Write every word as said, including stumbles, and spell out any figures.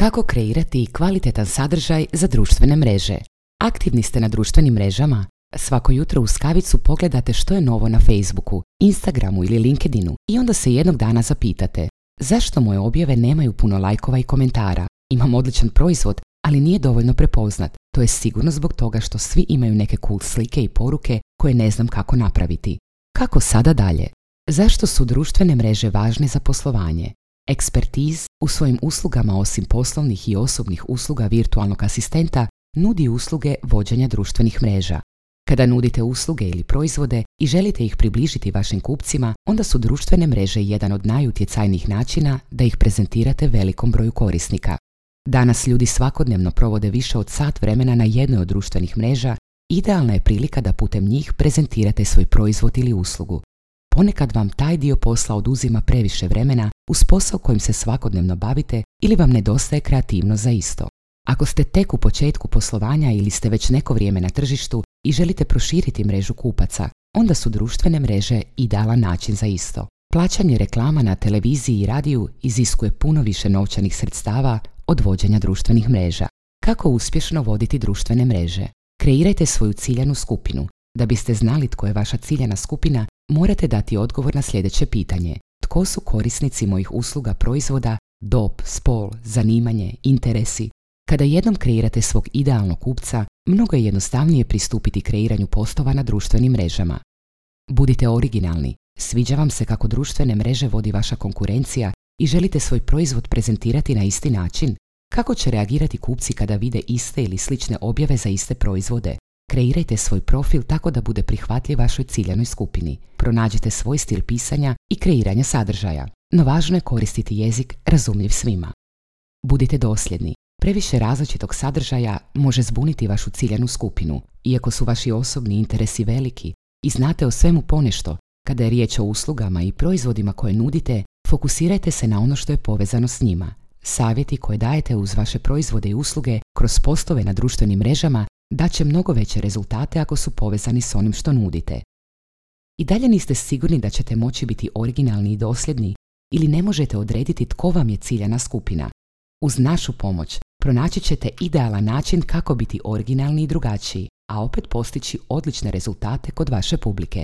Kako kreirati kvalitetan sadržaj za društvene mreže? Aktivni ste na društvenim mrežama? Svako jutro uz kavicu pogledate što je novo na Facebooku, Instagramu ili LinkedInu i onda se jednog dana zapitate: zašto moje objave nemaju puno lajkova i komentara? Imam odličan proizvod, ali nije dovoljno prepoznat. To je sigurno zbog toga što svi imaju neke cool slike i poruke koje ne znam kako napraviti. Kako sada dalje? Zašto su društvene mreže važne za poslovanje? Expertise u svojim uslugama osim poslovnih i osobnih usluga virtualnog asistenta nudi usluge vođenja društvenih mreža. Kada nudite usluge ili proizvode i želite ih približiti vašim kupcima, onda su društvene mreže jedan od najutjecajnijih načina da ih prezentirate velikom broju korisnika. Danas ljudi svakodnevno provode više od sat vremena na jednoj od društvenih mreža. Idealna je prilika da putem njih prezentirate svoj proizvod ili uslugu. Ponekad vam taj dio posla oduzima previše vremena uz posao kojim se svakodnevno bavite ili vam nedostaje kreativnost za isto. Ako ste tek u početku poslovanja ili ste već neko vrijeme na tržištu i želite proširiti mrežu kupaca, onda su društvene mreže idealan način za isto. Plaćanje reklama na televiziji i radiju iziskuje puno više novčanih sredstava od vođenja društvenih mreža. Kako uspješno voditi društvene mreže? Kreirajte svoju ciljanu skupinu. Da biste znali tko je vaša ciljana skupina, morate dati odgovor na sljedeće pitanje: tko su korisnici mojih usluga, proizvoda, dob, spol, zanimanje, interesi? Kada jednom kreirate svog idealnog kupca, mnogo je jednostavnije pristupiti kreiranju postova na društvenim mrežama. Budite originalni. Sviđa vam se kako društvene mreže vodi vaša konkurencija i želite svoj proizvod prezentirati na isti način? Kako će reagirati kupci kada vide iste ili slične objave za iste proizvode? Kreirajte svoj profil tako da bude prihvatljiv vašoj ciljanoj skupini. Pronađite svoj stil pisanja i kreiranja sadržaja, no važno je koristiti jezik razumljiv svima. Budite dosljedni. Previše različitog sadržaja može zbuniti vašu ciljanu skupinu. Iako su vaši osobni interesi veliki i znate o svemu ponešto, kada je riječ o uslugama i proizvodima koje nudite, fokusirajte se na ono što je povezano s njima. Savjeti koje dajete uz vaše proizvode i usluge kroz postove na društvenim mrežama daće mnogo veće rezultate ako su povezani s onim što nudite. I dalje niste sigurni da ćete moći biti originalni i dosljedni ili ne možete odrediti tko vam je ciljana skupina. Uz našu pomoć pronaći ćete idealan način kako biti originalni i drugačiji, a opet postići odlične rezultate kod vaše publike.